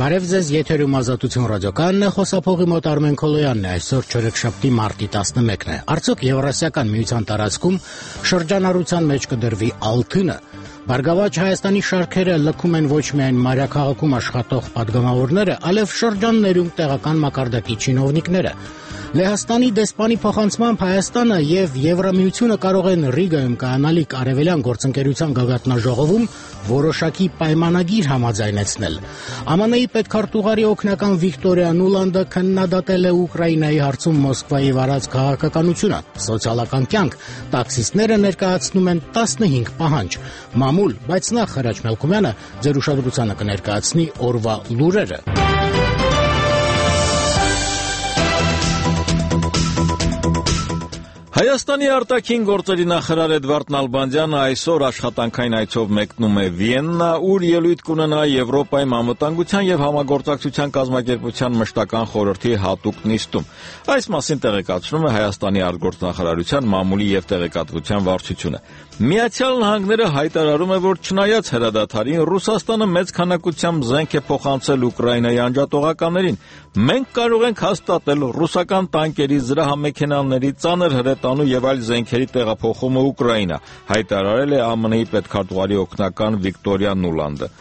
Բարև ձեզ, եթերում Ազատություն ռադիոկայանն է, խոսափողի մոտ Արմեն Քոլոյանն է, այսօր չորեքշաբթի մարտի 11-ն է։ Արդյոք Եվրասիական միության տարածքում շրջանառության մեջ կդրվի Ալթինը։ Բարգավաճ Հայաստանի շարքերը լքում են ոչ միայն մայրաքաղաքում աշխատող պատգամավորները, այլև շրջաններում տեղական մակարդակի չինովնիկները։ Լեհաստանի դեսպանի փոխանցմամբ Հայաստանը եւ Եվրամիությունը կարող են Ռիգայում կայանալիք արևելյան գործընկերության գագաթնաժողովում որոշակի պայմանագիր համաձայնեցնել։ ԱՄՆ-ի պետքարտուղարի օգնական Վիկտորիա Նուլանդը քննադատել է Ուկրաինայի հարցում Մոսկվայի վարած քաղաքականությունը։ Սոցիալական կյանք տաքսիստները ներկայացնում են 15 պահանջ։ Մամուլ, բայց նախ Հրաչ Մելքումյանը ձեր ուշադրությանը կներկայացնի օրվա լուրերը։ Հայաստանի արտաքին գործերի նախարար Էդվարդ Նալբանդյանը այսօր աշխատանքային այցով մեկնում է Վիեննա, ուր ելույթ կունենա Եվրոպայի անվտանգության եւ համագործակցության կազմակերպության մշտական խորհրդի հատուկ նիստում։ Այս մասին տեղեկացնում է Հայաստանի արտգործնախարարության մամուլի եւ տեղեկատվության վարչությունը։ Միացյալ Նահանգները հայտարարում է, որ չնայած հրադադարին Ռուսաստանը մեծ քանակությամբ զենք է փոխանցել Ուկրաինայի անջատողականներին։ Մենք կարող ենք հաստատել ռուսական տանկերի, զրահամեքենաների, ծանր հրետանու եւ այլ զենքերի տեղափոխումը Ուկրաինա, հայտարարել է ԱՄՆ-ի պետքարտուղարի օգնական Վիկտորիա Նուլանդը։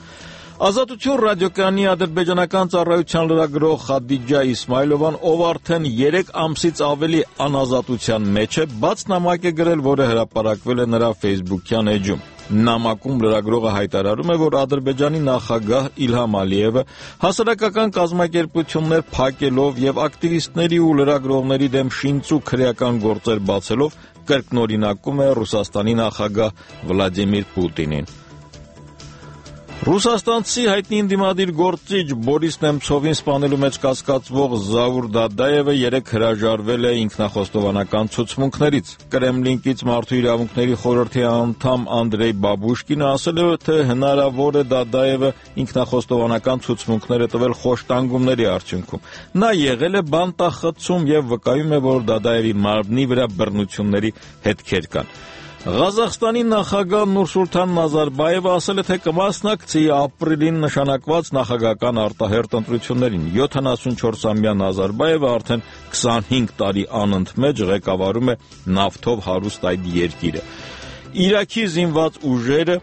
Ազատություն ռադիոկայանի ադրբեջանական ծառայության լրագրող Խադիջա Իսմայլովան, ով արդեն 3 ամսից ավելի անազատության մեջ է, բաց նամակ է գրել, որը հրապարակվել է նրա Facebook-յան էջում։ Նամակում լրագրողը հայտարարում է, որ Ադրբեջանի նախագահ Իլհամ Ալիևը հասարակական կազմակերպություններ փակելով եւ ակտիվիստների ու լրագրողների դեմ շինծու քրեական գործեր բացելով կրկնօրինակում է Ռուսաստանի նախագահ Վլադիմիր Պուտինին։ Ռուսաստանցի հայտնի ընդդիմադիր գործիչ Բորիս Նեմցովին սպանելու մեջ կասկածվող Զաուր Դադաևը 3 հրաժարվել է ինքնախոստովանական ցուցմունքներից։ Կրեմլինկից Մարդու իրավունքների խորհրդի անդամ Անդրեյ Բաբուշկինը ասել է, թե հնարավոր է Դադաևը ինքնախոստովանական ցուցմունքները տվել խոշտանգումների արդյունքում։ Նա եղել է բանտախցում եւ վկայում է, որ Դադաևի մարմնի վրա բռնությունների հետքեր կան։ Ղազախստանի նախագահ Նուրսուլթան Նազարբայևը ասել է, թե կմասնակցի ապրիլին նշանակված նախագահական արտահերթ ընտրություններին։ 74-ամյա Նազարբայևը արդեն 25 տարի անընդմեջ ղեկավարում է նավթով հարուստ այդ երկիրը։ Իրաքի զինված ուժերը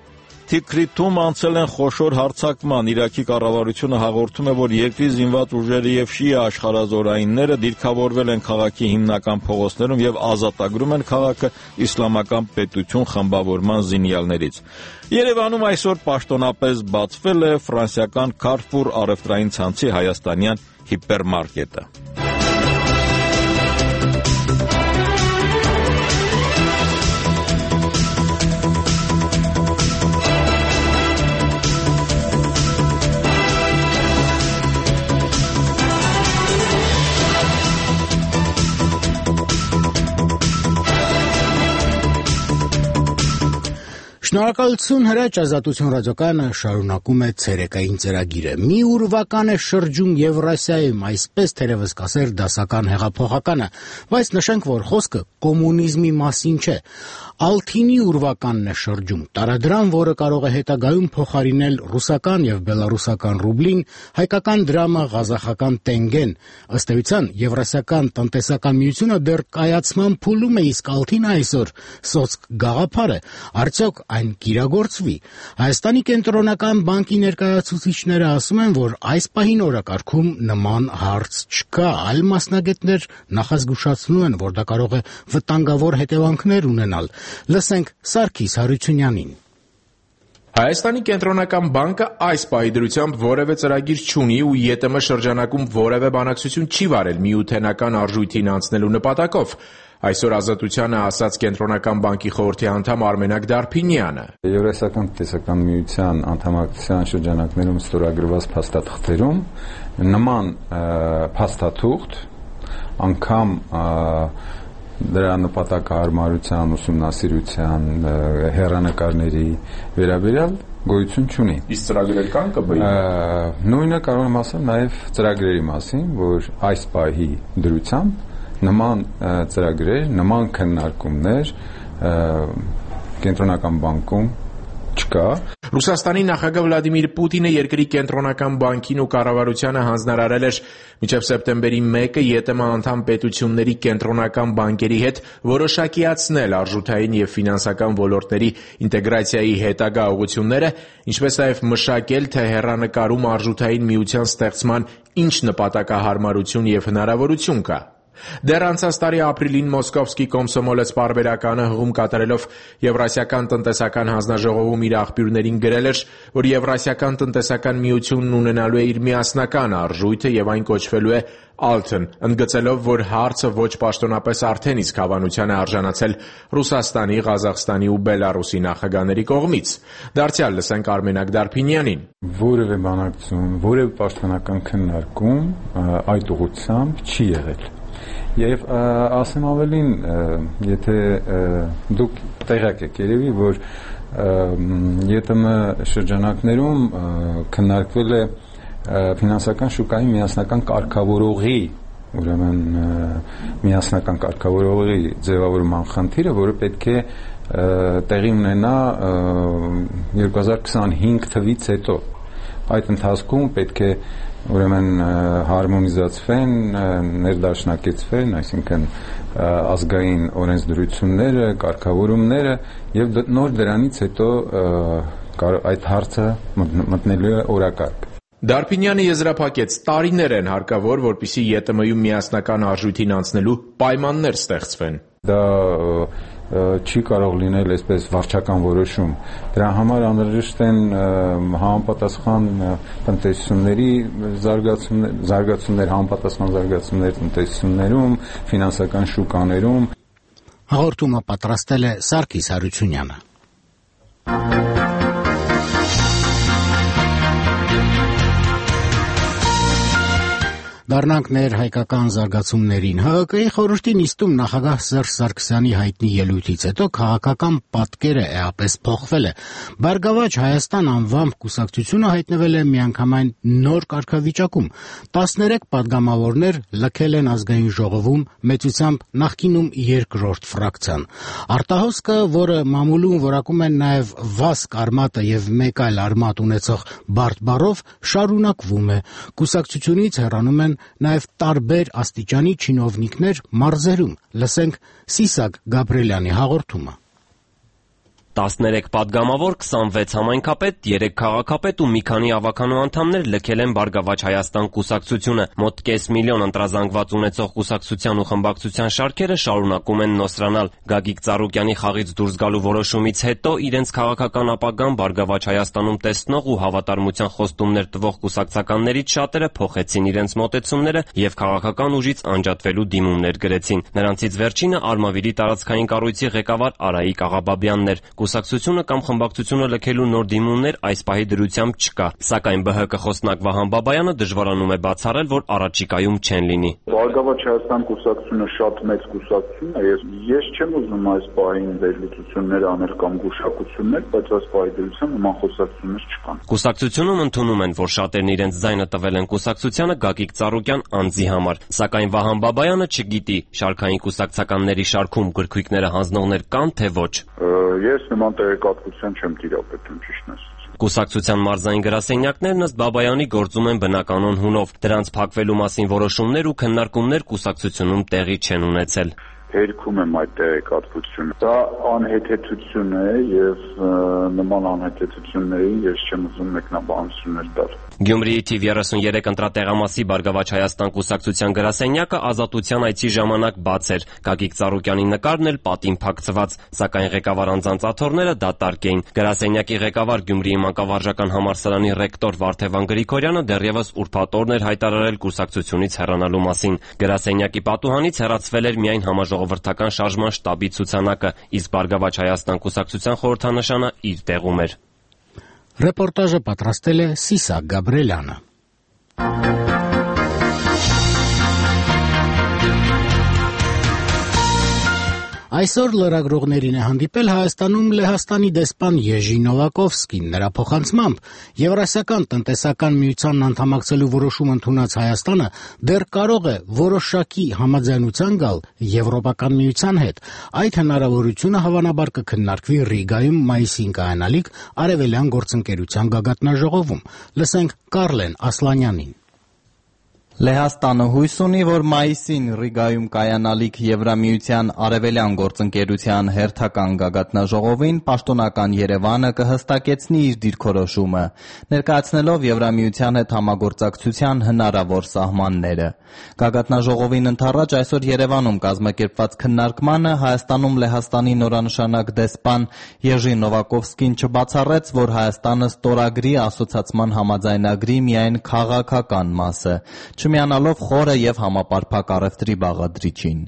Թիքրիթում անցել են խոշոր հարձակման։ Իրաքի կառավարությունը հաղորդում է, որ երկրի զինված ուժերը եւ շիա աշխարհազորայինները դիրքավորվել են քաղաքի հիմնական փողոցներում եւ ազատագրում են քաղաքը իսլամական պետություն խմբավորման զինյալներից։ Երևանում այսօր պաշտոնապես բացվել է ֆրանսիական Carrefour առևտրային ցանցի հայաստանյան հիպերմարկետը։ Շնորհակալություն Հրաչ, Ազատություն ռադիոկայանը շարունակում է ցերեկային ծրագիրը։ Մի ուրվական է շրջում Եվրասիայում, այսպես թերևս կասեր դասական հեղափոխականը, բայց նշենք, որ խոսքը կոմունիզմի մասին չէ։ Ալթինի ուրվականն է շրջում, տարադրան, որը կարող է հետագայում փոխարինել ռուսական եւ բելարուսական ռուբլին, հայկական դրամը, ղազախական տենգեն։ Ըստ էության, Եվրասիական տնտեսական միությունը դեռ կայացման փուլում է, իսկ Ալթինը այսօր սոցկ գաղափար է։ Արդյոք այն կիրագործվի։ Հայաստանի կենտրոնական բանկի ներկայացուցիչները ասում են, որ այս պահին օրակարգում նման հարց չկա, այլ մասնագետներ նախազգուշացնում են, որ դա կարող է վտանգավոր հետևանքներ ունենալ։ Լսենք Սարգիս Հարությունյանին։ Հայաստանի կենտրոնական բանկը այս պահի դրությամբ որևէ ծրագիր չունի ու ԵՏՄ շրջանակում որևէ բանակցություն չի վարել միութենական արժույթին անցնելու նպատակով։ Այսօր Ազատությանը ասաց կենտրոնական բանկի խորհրդի անդամ Արմենակ Դարփինյանը։ Եվրասիական տնտեսական միության անդամակցության շրջանակներում ստորագրված փաստաթղթերում նման փաստաթուղթ անգամ դրա նպատակահարմարության, ուսումնասիրության, հեռանկարների վերաբերյալ գոյություն չունի։ Իսկ ծրագրեր կան ԿԲ-ի։ Նույնը կարող եմ ասել նաև ծրագրերի մասին, որ այս պահի դրությամբ նման ծրագրեր, նման քննարկումներ կենտրոնական բանկում չկա։ Ռուսաստանի նախագահ Վլադիմիր Պուտինը երկրի կենտրոնական բանկին ու կառավարությանը հանձնարարել էր մինչև սեպտեմբերի 1-ը ԵՏՄ անդամ պետությունների կենտրոնական բանկերի հետ որոշակիացնել արժութային եւ ֆինանսական ոլորտների ինտեգրացիայի հետագա ուղղությունները, ինչպես նաեւ մշակել, թե հեռանկարում արժութային միության ստեղծման ինչ նպատակահարմարություն եւ հնարավորություն կա։ Դեռ անցած տարի ապրիլին Մոսկովսկի Կոմսոմոլեց պարբերականը հղում կատարելով Եվրասիական տնտեսական հանձնաժողովում իր աղբյուրներին գրել էր, որ Եվրասիական տնտեսական միությունն ունենալու է իր միասնական արժույթը եւ այն կոչվելու է Alten, ընդգծելով, որ հարցը ոչ պաշտոնապես արդեն իսկ հավանության է արժանացել Ռուսաստանի, Ղազախստանի ու Բելարուսի նախագահների կողմից։ Դարձյալ լսենք Արմենակ Դարփինյանին։ Որևէ բանակցություն, որևէ պաշտոնական քննարկում այդ ուղղությամբ չի եղել։ Եվ ասեմ ավելին, եթե դուք տեղյակ եք երևի, որ ԵՏՄ շրջանակներում քննարկվել է ֆինանսական շուկայի միասնական կարգավորողի, ուրեմն միասնական կարգավորողի ձևավորման խնդիրը, որը պետք է տեղի ունենա 2025 թվից հետո։ Այդ ընթացքում պետք է ուրեմն հարմոնիզացվեն, ներդաշնակեցվեն, այսինքն ազգային օրենսդրությունները, կարգավորումները եւ նոր դրանից հետո այդ հարցը մտնելու է օրակարգ։ Դարփինյանը եզրափակեց, տարիներ են հարկավոր, որպեսզի ԵՏՄ-ում միասնական արժույթին անցնելու պայմաններ ստեղծվեն։ Դա չի կարող լինել այսպես վարչական որոշում։ Դրա համար անհրաժեշտ են համապատասխան տնտեսությունների զարգացումներ, համապատասխան զարգացումներ տնտեսություններում, ֆինանսական շուկաներում։ Հաղորդումը պատրաստել է Սարգիս Հարությունյանը։ Դառնանք մեր հայկական զարգացումներին։ ՀՀԿ-ի խորհրդի նիստում նախագահ Սերժ Սարգսյանի հայտնի ելույթից հետո քաղաքական պատկերը էապես փոխվել է։ Բարգավաճ Հայաստան անվամբ կուսակցությունը հայտնվել է միանգամայն նոր կարգավիճակում։ 13 падգամավորներ լքել են ազգային ժողովում, մեծությամբ նախկինում երկրորդ ֆրակցիան։ Արտահոսքը, որը մամուլում որակում են նաև Վասկ արմատը եւ մեկ այլ արմատ ունեցող բարդ բառով, շարունակվում է։ Կուսակցությունից հեռանում են նաև տարբեր աստիճանի չինովնիկներ մարզերում։ Լսենք Սիսակ Գաբրելյանի հաղորդումը։ 13 падգամավոր, 26 համայնքապետ, 3 քաղաքապետ ու մի քանի ավականու անդամներ լքել են Բարգավաճ Հայաստան կուսակցությունը։ Մոտ կես միլիոն ընտրազանգված ունեցող կուսակցության ու խմբակցության շարքերը շարունակում են նոսրանալ։ Գագիկ Ծառուկյանի խաղից դուրս գալու որոշումից հետո իրենց քաղաքական ապագան Բարգավաճ Հայաստանում տեսնող ու հավատարմության խոստումներ տվող կուսակցականներից շատերը փոխեցին իրենց մոտեցումները եւ քաղաքական ուժից անջատվելու դիմումներ գրեցին։ Նրանցից վերջինը Արմավիրի տարածքային կառույցի ղեկավար Արայիկ Աղաբաբյանն էր։ Կուսակցությունը կամ խմբակցությունը լքելու նոր դիմումներ այս պահի դրությամբ չկա, սակայն ԲՀԿ խոսնակ Վահան Բաբայանը դժվարանում է բացառել, որ առաջիկայում չեն լինի։ Բարգավաճ Հայաստան կուսակցությունը շատ մեծ կուսակցություն է, ես չեմ ուզում այս պահին վերլուծություններ անել կամ գուշակություններ, բայց այս պահի դրությամբ նման խոսակցություններ չկան։ Կուսակցությունում ընդունում են, որ շատերն իրենց ձայնը տվել են կուսակցությանը Գագիկ Ծառուկյան անձի համար, սակայն Վահան Բաբայանը չգիտի, շարքային կուսակցականների շարքում գրքույկները հանձնողներ կան, թե ոչ։ Ես նման տեղեկատվության չեմ տիրապետում, ճիշտն ասած։ Կուսակցության մարզային գրասենյակներն ըստ Բաբայանի գործում են բնականոն հունով։ Դրանց փակվելու մասին որոշումներ ու քննարկումներ կուսակցությունում տեղի չեն ունեցել։ Հերքում եմ այդ տեղեկատվությունը։ Դա անհեթեթություն է եւ նման անհեթեթությունների ես չեմ ուզում մեկնաբանություններ տալ։ Գյումրիի թիվ 33 ընտրատեղամասի Բարգավաճ Հայաստան կուսակցության գրասենյակը ազատության այցի ժամանակ բաց էր։ Գագիկ Ծառուկյանի նկարն էլ պատին փակցված, սակայն ղեկավար անձանց աթոռները դատարկ էին։ Գրասենյակի ղեկավար Գյումրիի մանկավարժական համալսարանի ռեկտոր Վարդևան Գրիգորյանը դեռևս ուրբաթ օրն էր հայտարարել կուսակցությունից հեռանալու մասին։ Գրասենյակի պատուհանից հեռացվել էր միայն համաժողովրդական շարժման շտաբի ցուցանակը, իսկ Բարգավաճ Հայաստան կուսակցության խորհրդանշանը իր տեղում էր։ Ռեպորտաժը պատրաստել է Սիսակ Գաբրելյանը։ Այսօր լրագրողներին է հանդիպել Հայաստանում Լեհաստանի դեսպան Եժի Նովակովսկին։ Նրա փոխանցմամբ Եվրասիական տնտեսական միությանն անդամակցելու որոշում ընդունած Հայաստանը դեռ կարող է որոշակի համաձայնության գալ Եվրոպական միության հետ։ Այդ հնարավորությունը հավանաբար կքննարկվի Ռիգայում մայիսին կայանալիք Արևելյան գործընկերության գագաթնաժողովում։ Լսենք Կարլեն Ասլանյանին։ Լեհաստանը հույս ունի, որ մայիսին Ռիգայում կայանալիք Եվրամիության Արևելյան գործընկերության հերթական գագաթնաժողովին պաշտոնական Երևանը կհստակեցնի իր դիրքորոշումը, ներկայացնելով Եվրամիության հետ համագործակցության հնարավոր սահմանները։ Գագաթնաժողովին ընդառաջ այսօր Երևանում կազմակերպված քննարկմանը Հայաստանում Լեհաստանի նորանշանակ դեսպան Եժի Նովակովսկին չբացառեց, որ Հայաստանը ստորագրի ասոցացման համաձայնագրի միայն քաղաքական մասը, չմիանալով խորը և համապարփակ առևտրի բաղադրիչին։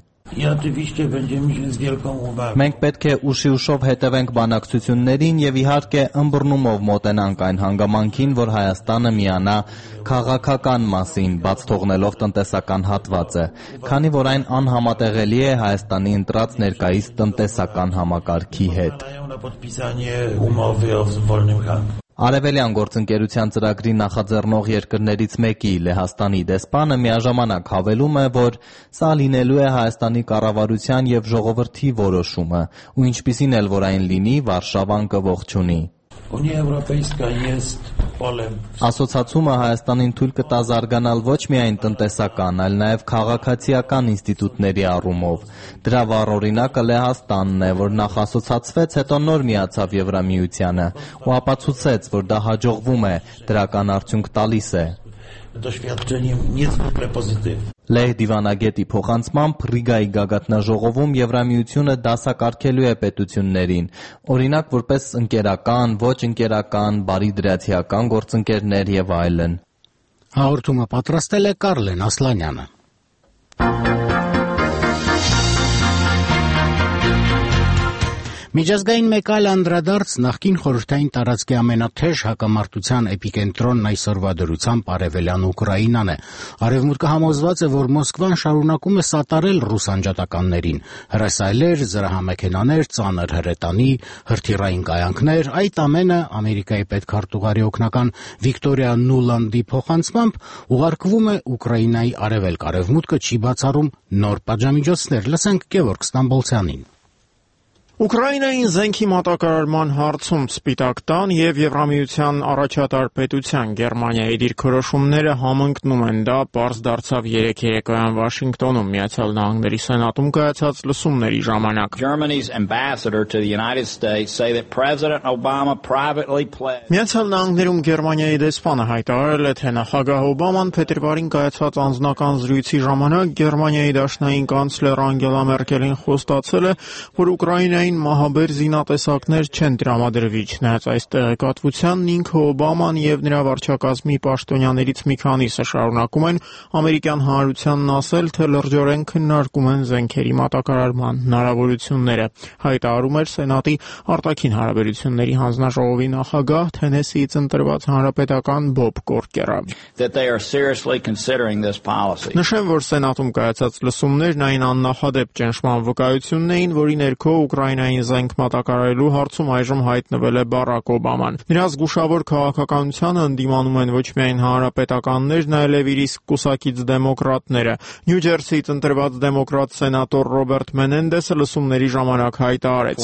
Մենք պետք է ուշիուշով հետևենք բանակցություններին և իհարկե ըմբռնումով մոտենանք այն հանգամանքին, որ Հայաստանը միանա քաղաքական մասին, բաց թողնելով տնտեսական հատվածը, քանի որ այն անհամատեղելի է Հայաստանի ընտրած ներկայիս տնտեսական համակարգի հետ։ Արևելյան գործընկերության ծրագրի նախաձեռնող երկրներից մեկի Լեհաստանի դեսպանը միաժամանակ հավելում է, որ սա լինելու է Հայաստանի կառավարության և ժողովրդի որոշումը, ու ինչպիսին էլ որ այն լինի, Վարշավան կողջունի։ Ասոցացումը Հայաստանին թույլ կտա զարգանալ ոչ միայն տնտեսական, այլ նաև քաղաքացիական ինստիտուտների առումով։ Դրա վառ օրինակը Լեհաստանն է, որ նախ ասոցացվեց, հետո նոր միացավ Եվրամիությանը ու ապացուցեց, որ դա հաջողվում է, դրական արդյունք տալիս է։ Լեհ դիվանագետի փոխանցմամբ Ռիգայի գագաթնաժողովում Եվրամիությունը դասակարգելու է պետություններին, օրինակ որպես ընկերական, ոչ ընկերական, բարիդրացիական գործընկերներ և այլն։ Հաղորդումը պատրաստել է Կարլեն Ասլանյանը։ Միջազգային մեկ այլ անդրադարձ նախկին խորհրդային տարածքի ամենաթեժ հակամարտության էպիկենտրոնն այսօրվա դրությամբ Արևելյան Ուկրաինան է։ Արևմուտքը համոզված է, որ Մոսկվան շարունակում է սատարել ռուս անջատականներին։ Հրասայլեր, զրահամեքենաներ, ծանր հրետանի, հրթիռային կայանքներ, այդ ամենը Ամերիկայի պետքարտուղարի օգնական Վիկտորիա Նուլանդի փոխանցմամբ ուղարկվում է Ուկրաինայի արևելք-արևմուտքը չի բացառում նոր պատժամիջոցներ։ Լսենք Գևորգ Ստամբոլցյանին։ Ուկրաինային զենքի մատակարարման հարցում Սպիտակ տան և Եվրամիության առաջատար պետության Գերմանիայի դիրքորոշումները համընկնում են, դա պարզ դարձավ երեկ երեկոյան Վաշինգտոնում Միացյալ Նահանգների Սենատում կայացած լսումների ժամանակ։ Միացյալ Նահանգներում Գերմանիայի դեսպանը հայտարարել է, թե նախագահ Օբաման փետրվարին կայացած անձնական զրույցի ժամանակ Գերմանիայի դաշնային կանցլեր Անգելա Մերկելին խոստացել է, որ Ուկրաինայի մահաբեր զինատեսակներ չեն տրամադրվի, չնայած այս տեղեկատվությանն ինքը Օբաման և նրա վարչակազմի պաշտոնյաներից մի քանիսը շարունակում են ամերիկյան հանրությանն ասել, թե լրջորեն քննարկում են զենքերի մատակարարման հնարավորությունները, հայտարարում էր Սենատի արտաքին հարաբերությունների հանձնաժողովի նախագահ Թենեսիից ընտրված հանրապետական Բոբ Կորկերը։ Նշեմ, որ Սենատում կայացած լսումներն այն աննախադեպ ճնշման վկայությունն էին, որի ներքո Ուկրաինային զենք մատակարարելու հարցում այժմ հայտնվել է Բարակ Օբաման։ Նրա զգուշավոր քաղաքականությանը ընդդիմանում են ոչ միայն հանրապետականներն, այլև իր իսկ կուսակից դեմոկրատները։ Նյու Ջերսիից ընտրված դեմոկրատ սենատոր Ռոբերտ Մենենդեսը լսումների ժամանակ հայտարարեց.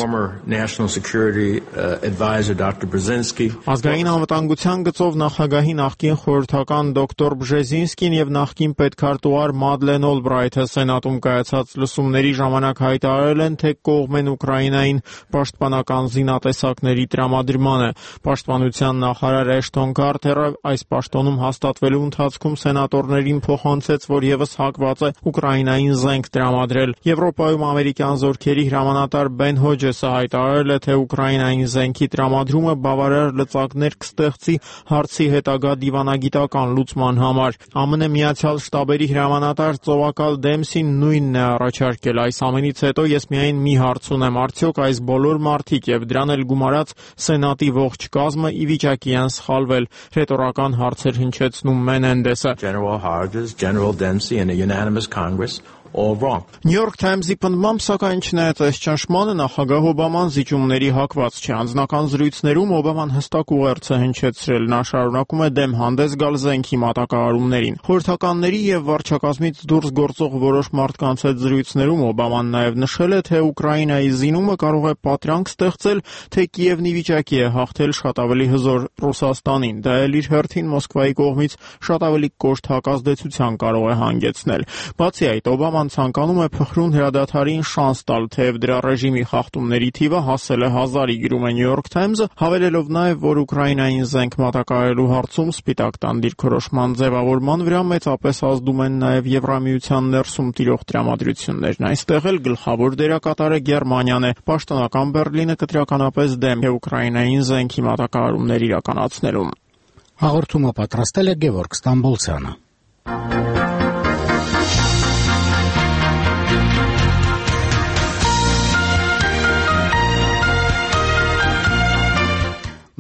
Ազգային անվտանգության գծով նախագահի նախկին խորհրդական դոկտոր Բժեզինսկին և նախկին պետքարտուղար Մադլեն Օլբրայթը Սենատում կայացած լսումների ժամանակ հայտարարել են, թե կողմ են Ուկրաինային պաշտպանական զինատեսակների տրամադրմանը։ Պաշտպանության նախարար Էշթոն Քարթերը այս պաշտոնում հաստատվելու ընթացքում սենատորներին փոխանցեց, որ ևս հակված է Ուկրաինային զենք տրամադրել։ Եվրոպայում ամերիկյան զորքերի հրամանատար Բեն Հոջեսը հայտարարել է, թե Ուկրաինային զենքի տրամադրումը բավարար լծակներ կստեղծի հարցի հետագա դիվանագիտական լուծման համար։ ԱՄՆ Միացյալ Շտաբերի հրամանատար ծովակալ Դեմսին նույնն է առաջարկել։ Այս ամենից հետո ես միայն մի հարց ունեմ, արդյոք այս բոլոր մարդիկ և դրան էլ գումարած Սենատի ողջ կազմը ի վիճակի են սխալվել, ռետորական հարցեր հնչեցնում Մենենդեսը։ or wrong. New York Times-ի պնդմամբ, սակայն չնայած ճնշմանը, նախագահ Օբաման զիջումների հակված չէ։ Անձնական զրույցներում Օբաման հստակ ուղերձ է հնչեցրել, նա շարունակում է դեմ հանդես գալ զենքի մատակարարումներին։ Խորհրդականների եւ վարչակազմից դուրս գործող որոշ մարդկանց հետ զրույցներում Օբաման նաեւ նշել է, թե Ուկրաինայի զինումը կարող է պատրանք ստեղծել, թե Կիևն ի վիճակի է հաղթել շատ ավելի հզոր Ռուսաստանին։ Դա էլ իր հերթին Մոսկվայի կողմից շատ ավելի կոշտ հակազդեցության կարող է հանգեցնել։ Բացի այդ, Օբաման ցանկանում է փխրուն հրադադարին շանս տալ, թեև դրա ռեժիմի խախտումների թիվը հասել է 1000-ի, գրում է New York Times-ը, հավելելով նաև, որ Ուկրաինային զենք մատակարարելու հարցում Սպիտակ տան դիրքորոշման ձևավորման վրա մեծապես ազդում են նաև Եվրամիության ներսում տիրող տրամադրություններն։ Այստեղ էլ գլխավոր դերակատարը Գերմանիան է։ Պաշտոնական Բեռլինը կտրականապես դեմ է Ուկրաինային զենքի մատակարարումներ իրականացնելուն։ Հաղորդումը պատրաստել է Գևորգ Ստամբոլցյանը։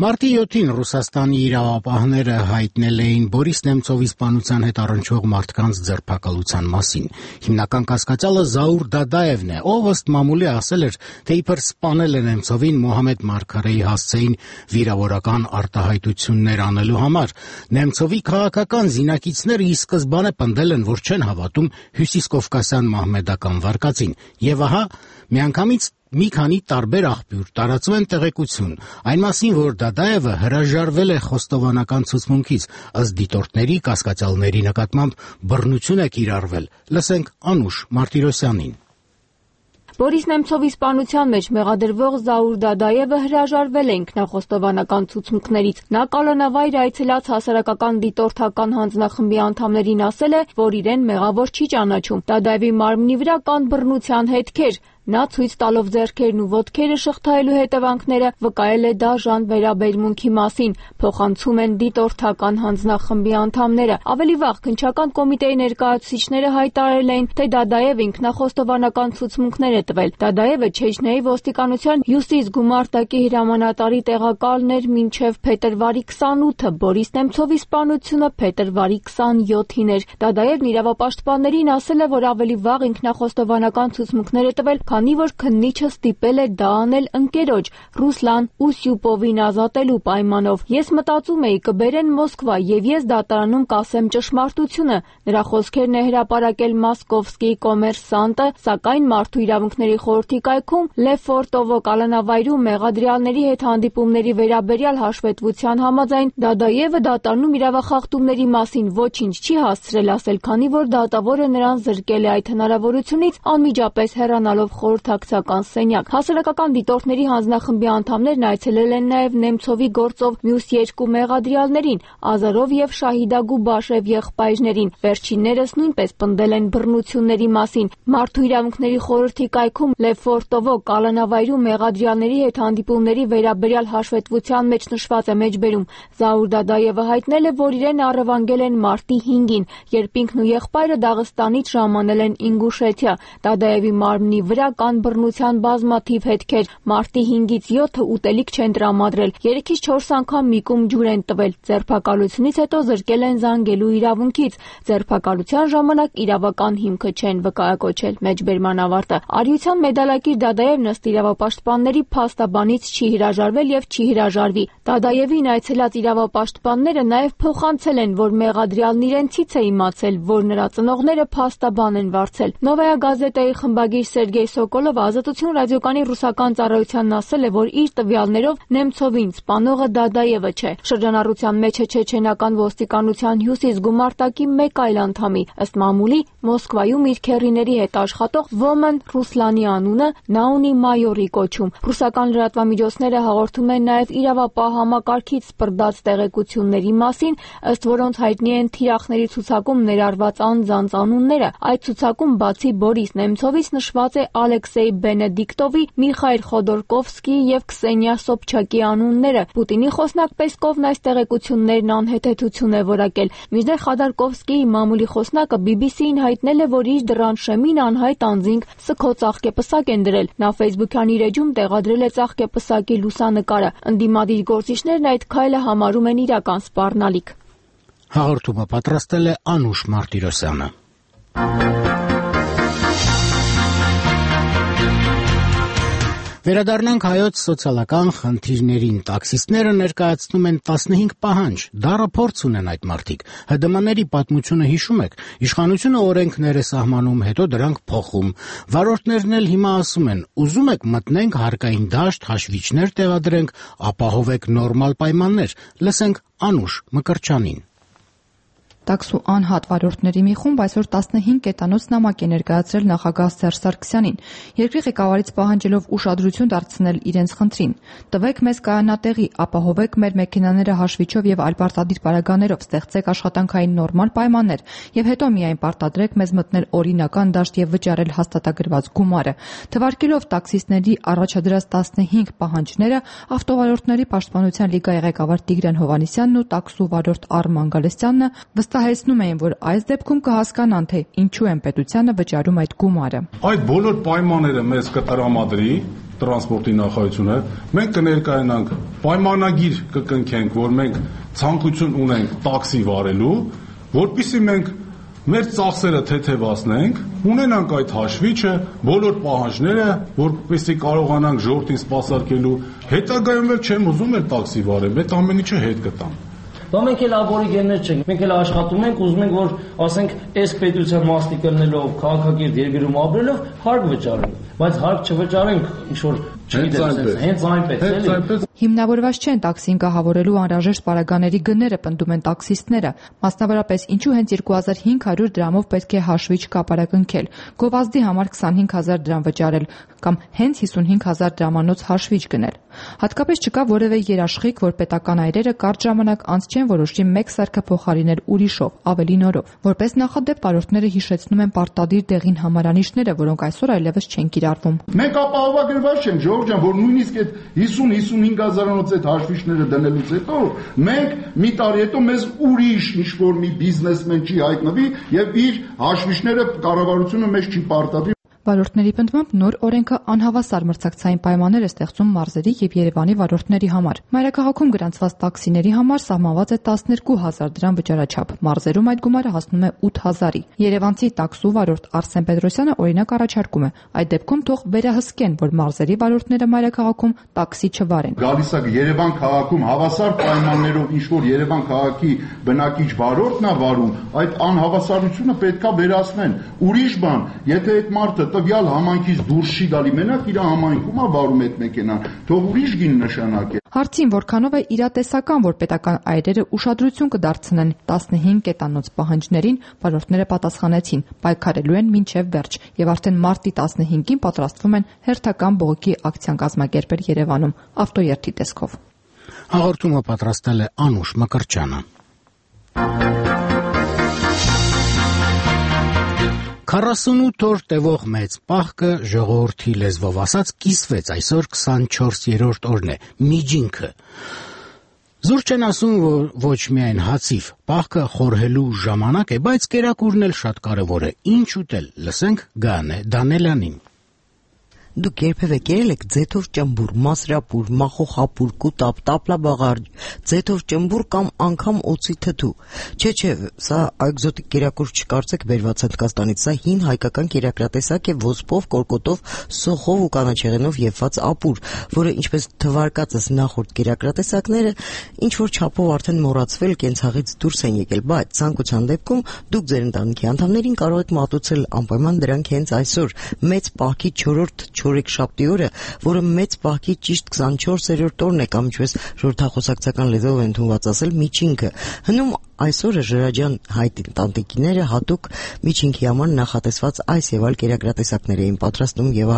Մարտի 7-ին Ռուսաստանի իրավապահները հայտնել էին Բորիս Նեմցովի սպանության հետ առնչվող մարդկանց ձերբակալության մասին։ Հիմնական կասկածյալը Զաուր Դադաևն է, ով ըստ մամուլի ասել էր, թե իբր սպանել է Նեմցովին Մոհամեդ Մարգարեի հասցեին վիրավորական արտահայտություններ անելու համար։ Նեմցովի քաղաքական զինակիցները ի սկզբանե պնդել են, որ չեն հավատում հյուսիսկովկասյան մահմեդական վարկածին։ Եվ ահա, միանգամից մի քանի տարբեր աղբյուր տարածում են տեղեկություն այն մասին, որ Դադաևը հրաժարվել է խոստովանական ցուցմունքից, ըստ դիտորդների կասկածյալների նկատմամբ բռնություն է կիրառվել։ Լսենք Անուշ Մարտիրոսյանին։ Բորիս Նեմցովի սպանության մեջ մեղադրվող Զաուր Դադաևը հրաժարվել է ինքնախոստովանական ցուցմունքներից։ Նա կալանավայր այցելած հասարակական դիտորդական հանձնախմբի անդամներին ասել է, որ իրեն մեղավոր չի ճանաչում։ Դադաևի մարմնի վրա կան բռնության հետքեր։ Նա ցույց տալով ձեռքերն ու ոտքերը շղթայելու հետևանքները վկայել է դաժան վերաբերմունքի մասին, փոխանցում են դիտորդական հանձնախմբի անդամները։ Ավելի վաղ քննչական կոմիտեի ներկայացուցիչները հայտարարել էին, թե Դադաևը ինքնախոստովանական ցուցմունքներ է տվել։ Դադաևը Չեչնիայի ոստիկանության հյուսիս գումարտակի հրամանատարի տեղակալն էր մինչև փետրվարի 28-ը, Բորիս Նեմցովի սպանությունը փետրվարի 27-ին էր։ Դադաևն իրավապաշտպաններին ասել է, որ ավելի վաղ ինքնախոստովանական ցուցմունքներ է տվել, քանի որ քննիչը ստիպել է դա անել ընկերոջ Ռուսլան Ուսյուպովին ազատելու պայմանով։ Ես մտածում էի կբերեն Մոսկվա եւ ես դատարանում կասեմ ճշմարտությունը։ Նրա խոսքերն է հրապարակել Մոսկովսկի կոմերսանտը, սակայն Մարդու իրավունքների խորհրդի կայքում Լեֆորտովո կալանավայրում մեղադրյալների հետ հանդիպումների վերաբերյալ հաշվետվության համաձայն Դադաևը դատարանում իրավախախտումների մասին ոչինչ չի հասցրել ասել, քանի որ դատավորը նրան զրկել է այդ հնարավորությունից անմիջապես հեռանալով խորհրդակցական սենյակ։ Հասարակական դիտորդների հանձնախմբի անդամներն այցելել են նաև Նեմցովի գործով մյուս երկու մեղադրյալներին՝ Ազարով եւ Շահիդա Գուբաշև եղբայրներին։ Վերջիններս նույնպես պնդել են բռնությունների մասին։ Մարդու իրավունքների խորհրդի կայքում Լեֆորտովո կալանավայրում մեղադրյալների հետ հանդիպումների վերաբերյալ հաշվետվության մեջ նշված է մեջբերում։ Զաուր Դադաևը հայտնել է, որ իրեն առևանգել են մարտի 5-ին, երբ ինքն ու եղբայրը Դաղստանից ժամանել են Ինգուշեթիա։ Դադաևի մարմնի վրա կան բռնության բազմաթիվ հետքեր։ Մարտի 5-ից 7-ը ուտելիք չեն տրամադրել, 3-ից 4 անգամ միկում ջուր են տվել։ Ձերբակալությունից հետո զրկել են զանգելու իրավունքից։ Ձերբակալության ժամանակ իրավական հիմքը չեն վկայակոչել։ Մեջբերման ավարտը։ Արիության մեդալակիր Դադաևն ըստ իրավապաշտպանների փաստաբանից չի հրաժարվել եւ չի հրաժարվի։ Դադաևին այցելած իրավապաշտպանները նաեւ փոխանցել են, որ մեղադրյալն իրենցից է իմացել, որ նրա ծնողները փաստաբան են վարձել։ Նովայա գազետայի խմբագիր Սերգեյ Սոկոլովը Ազատություն ռադիոկանի ռուսական ծառայությանն ասել է, որ իր տվյալներով Նեմցովին սպանողը Դադաևը չէ։ Շրջանառության մեջ է չեչենական ոստիկանության հյուսիս գումարտակի մեկ այլ անդամի, ըստ մամուլի Մոսկվայում իր քեռիների հետ աշխատող Ոմն Ռուսլանի անունը նա ունի մայորի կոչում։ Ռուսական լրատվամիջոցները հաղորդում են նաև իրավապահ համակարգից սպրդած տեղեկությունների մասին, ըստ որոնց հայտնի են թիրախների ցուցակում ներառված անձանց անունները։ Այդ ցուցակում բացի Բորիս Նեմցովից նշված է Ալեքսեյ Բենեդիկտովի, Միխայլ Խոդորկովսկիի եւ Քսենիա Սոբչակի անունները։ Պուտինի խոսնակ Պեսկովն այս տեղեկություններն անհեթեթություն է որակել։ Մինչդեռ Խոդորկովսկիի մամուլի խոսնակը BBC-ին հայտնել է, որ իր դռան շեմին անհայտ անձինք սքո ծաղկեպսակ են դրել։ Նա Facebook-յան իր էջում տեղադրել է ծաղկեպսակի լուսանկարը։ Ընդդիմադիր գործիչներն այդ քայլը համարում են իրական սպառնալիք։ Հաղորդումը պատրաստել է Անուշ Մարտիրոսյանը։ Վերադառնանք հայոց սոցիալական խնդիրներին։ Տաքսիստները ներկայացնում են 15 պահանջ։ Դառը փորձ ունեն այդ մարդիկ։ ՀԴՄ-ների պատմությունը հիշում եք։ Իշխանությունը օրենքներ է սահմանում, հետո դրանք փոխում։ Վարորդներն էլ հիմա ասում են՝ ուզում եք մտնենք հարկային դաշտ, հաշվիչներ տեղադրենք, ապահովեք նորմալ պայմաններ։ Լսենք Անուշ Մկրտչյանին։ Տաքսու անհատ վարորդների մի խումբ այսօր 15 կետանոց նամակ է ներկայացրել նախագահ Սերժ Սարգսյանին, երկրի ղեկավարից պահանջելով ուշադրություն դարձնել իրենց խնդրին։ Տվեք մեզ կայանատեղի, ապահովեք մեր մեքենաները հաշվիչով եւ այլ պարտադիր պարագաներով, ստեղծեք աշխատանքային նորմալ պայմաններ եւ հետո միայն պարտադրեք մեզ մտնել օրինական դաշտ եւ վճարել հաստատագրված գումարը։ Թվարկելով տաքսիստների առաջադրած 15 պահանջները, Ավտովարորդների պաշտպանության լիգայի ղեկավար Տիգրան Հովհաննիսյանն ու տաքսու վարորդ Արման Գալստյանը վստահեցնում էին, որ այս դեպքում կհասկանան, թե ինչու են պետությանը վճարում այդ գումարը։ Այդ բոլոր պայմանները մեզ կտրամադրի տրանսպորտի նախարարությունը, մենք կներկայանանք պայմանագիր կկնքենք, որ մենք ցանկություն ունենք տաքսի վարելու, որպեսզի մենք մեր ծախսերը թեթևացնենք, ունենանք այդ հաշվիչը, բոլոր պահանջները, որպեսզի կարողանանք ժողովրդին սպասարկելու, հետագայում էլ չեմ ուզում էլ տաքսի վարեմ, այդ ամեն ինչը հետ կտամ։ Դա մենք էլ աբորիգեններ չենք, մենք էլ աշխատում ենք, ուզում ենք, որ ասենք այս պետության մասնիկ ելնելով, քաղաքակիրթ երկրում ապրելով հարկ վճարենք, բայց հարկ չվճարենք ինչ-որ հենց այնպես։ Հիմնավորված չեն տաքսին գահավորելու անհրաժեշտ պարագաների գները, պնդում են տաքսիստները։ Մասնավորապես, ինչու հենց 2500 դրամով պետք է հաշվիչ կապարակնքել, գովազդի համար 25000 դրամ վճարել կամ հենց 55000 դրամանոց հաշվիչ գնել։ Հատկապես չկա որևէ երաշխիք, որ պետական այրերը կարճ ժամանակ անց չեն որոշի մեկ սարքը փոխարինել ուրիշով, ավելի նորով։ Որպես նախադեպ վարորդները հիշեցնում են պարտադիր դեղին համարանիշները, որոնք այսօր այլևս չեն կիրառվում։ Մենք ապահովագրված չենք, ժողովուրդ ջան, որ նույնիսկ այդ 50-55,000-անոց այդ հաշվիչները դնելուց հետո մենք մի տարի հետո մեզ ուրիշ ինչ-որ մի բիզնեսմեն չի հայտնվի եւ իր հաշվիչները կառավարությունը մեզ չի պարտադրի։ Վարորդների պնդմամբ նոր օրենքը անհավասար մրցակցային պայմաններ է ստեղծում մարզերի եւ Երևանի վարորդների համար։ Մայրաքաղաքում գրանցված տաքսիների համար սահմանված է 12000 դրամ վճարաչափ։ Մարզերում այդ գումարը հասնում է 8000-ի։ Երևանցի տաքսու վարորդ Արսեն Պետրոսյանը օրինակ առաջարկում է. այդ դեպքում թող վերահսկեն, որ մարզերի վարորդները մայրաքաղաքում տաքսի չվարեն։ Գալիս է Երևան քաղաքում հավասար պայմաններով ինչ որ Երևան քաղաքի բնակիչ վարորդն է վարում, այդ անհավասարությունը պետքա վերացնեն։ Ուրիշ բան, եթե այդ մարդը տվյալ համայնքից դուրս չի գալի, մենակ իր համայնքում է վարում այդ մեքենան, թող ուրիշ գին նշանակե։ Հարցին որքանով է իրատեսական, որ պետական այրերը ուշադրություն կդարձնեն 15 կետանոց պահանջներին, վարորդները պատասխանեցին, պայքարելու են մինչև վերջ եւ արդեն մարտի 15-ին պատրաստվում են հերթական բողոքի ակցիան կազմակերպել Երևանում ավտոերթի տեսքով։ Հաղորդումը պատրաստել է Անուշ Մկրտչյանը։ 48 օր տևող մեծ պահքը ժողովրդի լեզվով ասած կիսվեց, այսօր 24-րդ օրն է, միջինքը։ Զուր չեն ասում, որ ոչ միայն հացիվ, պահքը խորհելու ժամանակ է, բայց կերակուրն էլ շատ կարևոր է, ինչ ուտել, լսենք Գանե Դանելյանին։ Դուք երբևէ կերել եք ձեթով ճմբուր, մասրապուր, մախոխապուր, կուտապ, տապլաբաղարջ, ձեթով ճմբուր կամ անգամ օծի թթու։ Չէ, սա էկզոտիկ կերակուր չկարծեք բերված Հնդկաստանից, սա հին հայկական կերակրատեսակ է ոսպով, կորկոտով, սոխով ու կանաչեղենով եփված ապուր, որը ինչպես թվարկածս նախորդ կերակրատեսակները ինչ որ չափով արդեն մոռացվել, կենցաղից դուրս են եկել, բայց ցանկության դեպքում դուք ձեր ընտանիքի անդամներին կարող եք մատուցել անպայման դրանք հենց այսօր, մեծ պահքի 4-րդ չորեքշաբթի օրը, որը մեծ պահքի ճիշտ 24-րդ օրն է կամ ինչպես ժողովրդախոսակցական լեզվով ընդունված ասել միջինքը։ Հնում այսօրը ժրաջան հայտ տանտիկիները հատուկ միջինքի համար նախատեսված այս եւ այլ կերակրատեսակներ էին պատրաստում եւ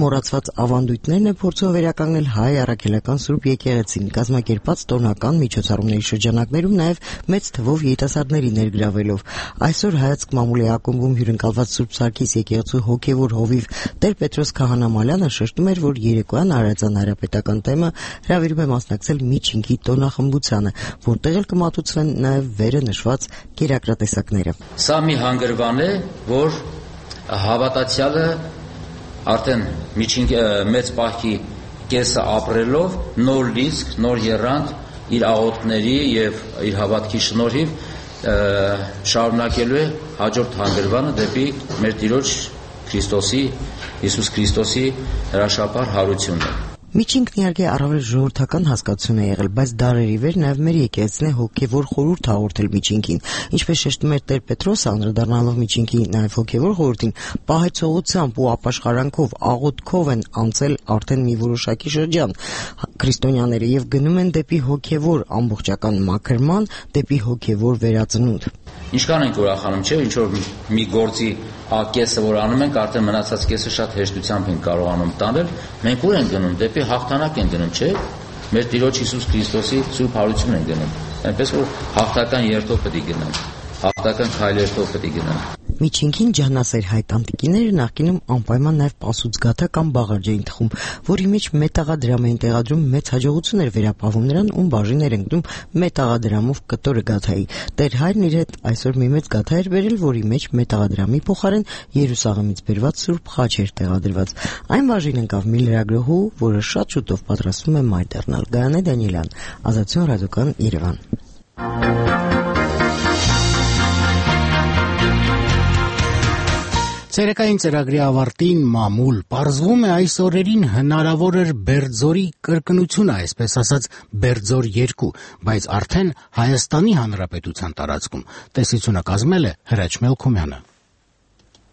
մոռացված ավանդույթներն է փորձում վերականգնել հայ առաքելական Սուրբ եկեղեցին կազմակերպած տոնական միջոցառումների շրջանակներում նաեւ մեծ թվով երիտասարդների ներգրավելով։ Այսօր հայացք մամուլի ակումբում հյուրընկալված Սուրբ Սարգիս եկեղեցու հոգեվոր հովիվ Տեր Պետրոս Քահանամալյանը շեշտում էր, որ երեկոյան Արարածան հանրապետական թեմը հրավիրում է մասնակցել միջինքի տոնախմբությանը, որտեղ էլ կմատուցվեն նաև վերը նշված կերակրատեսակները։ Սա մի հանգրվան է, որ հավատացյալը արդեն մեծ պահքի կեսը ապրելով նոր լիցք, նոր եռանդ իր աղոթքների եւ իր հավատքի շնորհիվ շարունակելու է հաջորդ հանգրվանը դեպի մեր Տիրոջ Հիսուս Քրիստոսի հրաշափառ հարությունն է։ Միջինքն իհարկե առավել ժողովրդական հասկացություն է եղել, բայց դարերի վեր նաև մեր եկեղեցին է հոգևոր խորհուրդ հաղորդել միջինքին, ինչպես շեշտում էր Տեր Պետրոսը, անդրադառնալով միջինքի նաև հոգևոր խորհրդին, պահեցողությամբ ու ապաշխարանքով, աղոթքով են անցել արդեն մի որոշակի շրջան քրիստոնյաները եւ գնում են դեպի հոգևոր ամբողջական մաքրման, դեպի հոգևոր վերածնունդ։ Ինչքան ենք ուրախանում, չէ՞, ինչ որ մի գործի կեսը որ անում ենք, արդեն մնացած կեսը շատ հեշտությամբ ենք կարողանում տանել, մենք ուր ենք գնում, դեպի հաղթանակ ենք գնում, չէ՞։ Մեր Տիրոջ Հիսուս Քրիստոսի սուրբ հարություն ենք գնում, այնպես որ հաղթական երթով պետք է գնանք, հաղթական քայլերով պետք է գնանք։ Միջինքին ջահնասեր հայ տանտիկիները նախկինում անպայման նաև պասուծգաթա կամ բաղարջ էին թխում, որի մեջ մետաղադրամ էին տեղադրում, մեծ հաջողություն էր վերապահվում նրան, ում բաժին էր ընկնում մետաղադրամով կտորը գաթայի։ Տեր հայրն իր հետ այսօր մի մեծ գաթա էր բերել, որի մեջ մետաղադրամի փոխարեն Երուսաղեմից բերված սուրբ խաչ էր տեղադրված։ Այն բաժին ընկավ մի լրագրողու, որը շատ շուտով պատրաստվում է մայր դառնալ։ Գայանե Դանիելյան, Ազատություն ռադիոկան, Երևան։ Ցերեկային ծրագրի ավարտին մամուլ պարզվում է այս օրերին հնարավոր էր Բերձորի կրկնությունը, այսպես ասած Բերձոր 2, բայց արդեն Հայաստանի Հանրապետության տարածքում։ Տեսությունը կազմել է Հրաչ Մելքումյանը։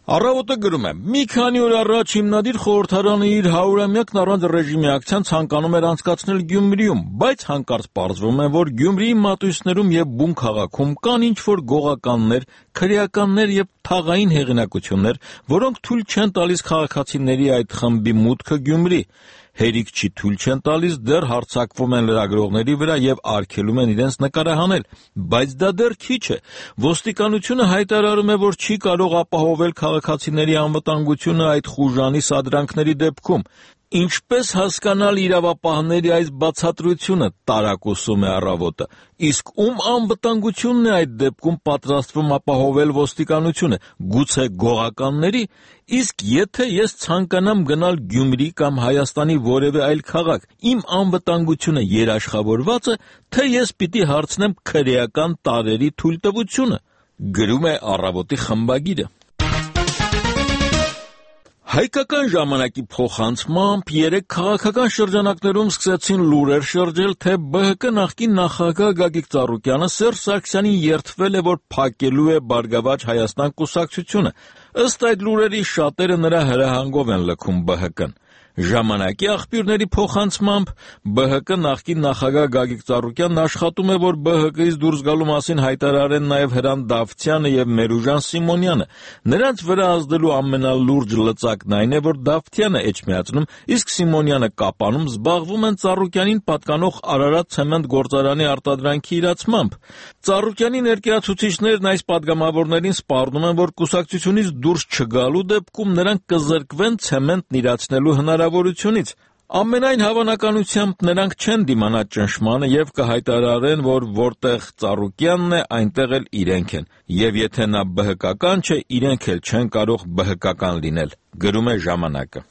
Առավոտը գրում է. մի քանի օր առաջ հիմնադիր խորհրդարանը իր 100-ամյակն առանց ռեժիմի ակցիան ցանկանում էր անցկացնել Գյումրիում, բայց հանկարծ պարզվում է, որ Գյումրիի մատույցներում եւ բուն քաղաքում կան ինչ-որ գողականներ, քրեականներ եւ թաղային հեղինակություններ, որոնք թույլ չեն տալիս քաղաքացիների այդ խմբի մուտքը Գյումրի։ Հերիք չի թույլ չեն տալիս, դեռ հարձակվում են լրագրողների վրա եւ արգելում են իրենց նկարահանել, բայց դա դեռ քիչ է։ Ոստիկանությունը հայտարարում է, որ չի կարող ապահովել քաղաքացիների անվտանգությունը այդ խուժանի սադրանքների դեպքում։ Ինչպես հասկանալ իրավապահների այս բացատրությունը, տարակուսում է Առավոտը, իսկ ում անվտանգությունն է այդ դեպքում պատրաստվում ապահովել ոստիկանությունը, գուցե գողականների, իսկ եթե ես ցանկանամ գնալ Գյումրի կամ Հայաստանի որևէ այլ քաղաք, իմ անվտանգությունը երաշխավորված է, թե ես պիտի հարցնեմ քրեական տարերի թույլտվությունը, գրում է Առավոտի խմբագիրը։ Հայկական ժամանակի փոխանցմամբ երեք քաղաքական շրջանակներում սկսեցին լուրեր շրջել, թե ԲՀԿ նախկին նախագահ Գագիկ Ծառուկյանը Սերժ Սարգսյանին երդվել է, որ փակելու է Բարգավաճ Հայաստան կուսակցությունը։ Ըստ այդ լուրերի շատերը նրա հրահանգով են լքում ԲՀԿ-ն։ Ժամանակի աղբյուրների փոխանցմամբ ԲՀԿ նախկին նախագահ Գագիկ Ծառուկյանն աշխատում է, որ ԲՀԿ-ից դուրս գալու մասին հայտարարեն նաև Հրան Դավթյանը եւ Մերուժան Սիմոնյանը։ Նրանց վրա ազդելու ամենալուրջ լծակն այն է, որ Դավթյանը էջմիածնում, իսկ Սիմոնյանը կապանում զբաղվում են Ծառուկյանին պատկանող Արարատ ցեմենտ գործարանի արտադրանքի իրացմամբ։ Ծառուկյանի ներկայացուցիչներն այս падգամավորներին սպառնում են, որ կուսակցությունից դուրս չգալու դեպքում նրանք կզրկվեն ցեմենտն իրացնելու հնարավորությունից։ Ամենայն հավանականությամբ նրանք չեն դիմանա ճնշմանը եւ կհայտարարեն, որ որտեղ Ծառուկյանն է, այնտեղ էլ իրենք են, եւ եթե նա ԲՀԿ-ական չէ, իրենք էլ չեն կարող ԲՀԿ-ական լինել, գրում է Ժամանակը։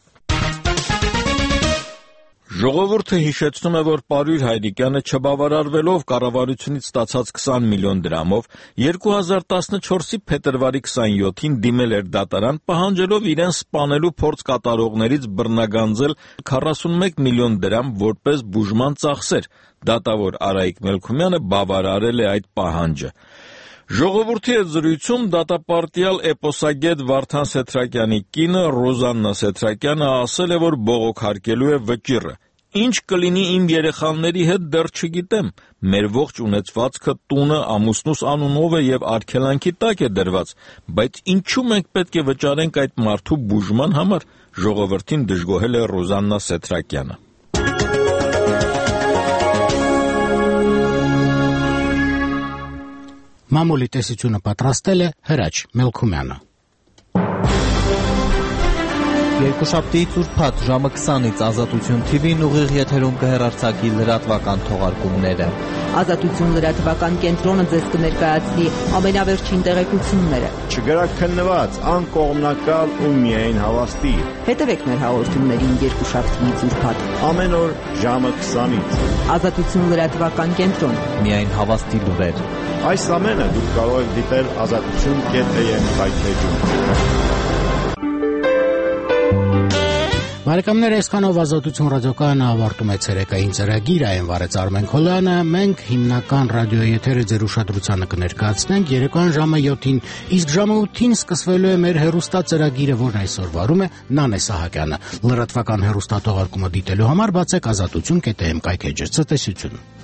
Ժողովուրդը հիշեցնում է, որ Պարույր Հայրիկյանը չբավարարվելով կառավարությունից ստացած 20 միլիոն դրամով 2014-ի փետրվարի 27-ին դիմել էր դատարան, պահանջելով իրեն սպանելու փորձ կատարողներից բռնագանձել 41 միլիոն դրամ որպես բուժման ծախսեր։ Դատավոր Արայիկ Մելքումյանը բավարարել է այդ պահանջը։ Ժողովրդի հետ զրույցում դատապարտյալ էպոսագետ Վարդան Սեթրակյանի կինը Ռոզաննա Սեթրակյանը ասել է, որ բողոքարկելու է վճիռը։ Ինչ կլինի իմ երեխաների հետ դեռ չգիտեմ, մեր ողջ ունեցվածքը տունը ամուսնուս անունով է եւ արգելանքի տակ է դրված, բայց ինչու մենք պետք է վճարենք այդ մարդու բուժման համար, ժողովրդին դժգոհել է Ռոզաննա Սեթրակյանը։ Մամուլի տեսությունը պատրաստել է Հրաչ Մելքումյանը։ Երկուշաբթիից ուրբաթ ժամը 20-ից Ազատություն TV-ն ուղիղ եթերում կհեռարձակի լրատվական թողարկումները։ Ազատություն լրատվական կենտրոնը ձեզ կներկայացնի ամենավերջին տեղեկությունները։ Չգրաքննված, անկողմնակալ ու միայն հավաստի։ Հետևեք մեր հաղորդումներին երկուշաբթիից ուրբաթ ամեն օր ժամը 20-ից։ Ազատություն լրատվական կենտրոն։ Միայն հավաստի լուրեր։ Այս ամենը դուք կարող եք դիտել azatutun.am-ի Բարեկամներ, այսքանով Ազատություն ռադիոկայանը ավարտում է ցերեկային ծրագիրը, այն վարեց Արմեն Քոլյանը, մենք հիմնական ռադիոյի եթերը ձեր ուշադրությանը կներկայացնենք երեկոյան ժամը 7-ին, իսկ ժամը 8-ին սկսվելու է մեր հեռուստածրագիրը, որն այսօր վարում է Նանե Սահակյանը։ Լրատվական հեռուստաթողարկումը դիտելու համար բացեք azatutun.am կայքէջը։ Ցտեսություն։